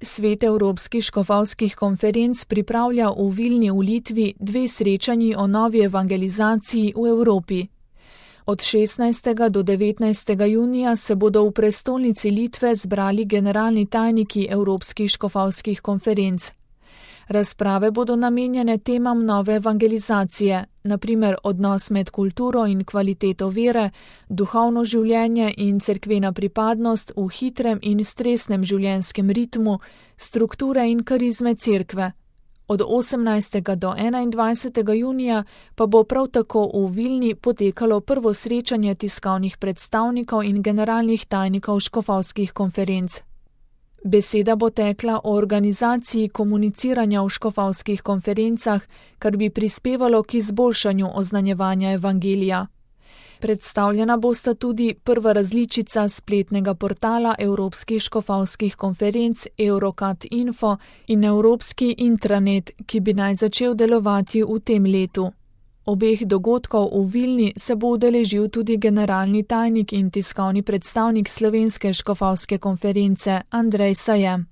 Svet evropskih škofovskih konferenc pripravlja v Vilni v Litvi 2 srečanji o novi evangelizaciji v Evropi. Od 16. do 19. junija se bodo v prestolnici Litve zbrali generalni tajniki evropskih škofovskih konferenc. Razprave bodo namenjene temam nove evangelizacije, na primer odnos med kulturo in kvaliteto vere, duhovno življenje in cerkvena pripadnost v hitrem in stresnem življenjskem ritmu, strukture in karizme cerkve. Od 18. do 21. junija pa bo prav tako v Vilni potekalo prvo srečanje tiskovnih predstavnikov in generalnih tajnikov škofovskih konferenc. Beseda bo tekla o organizaciji komuniciranja v škofovskih konferencah, kar bi prispevalo k izboljšanju oznanjevanja evangelija. Predstavljena bosta tudi prva različica spletnega portala evropskih škofovskih konferenc Eurocat Info in evropski intranet, ki bi naj začel delovati v tem letu. Obeh dogodkov v Vilni se bo udeležil tudi generalni tajnik in tiskovni predstavnik slovenske škofovske konference Andrej Sajem.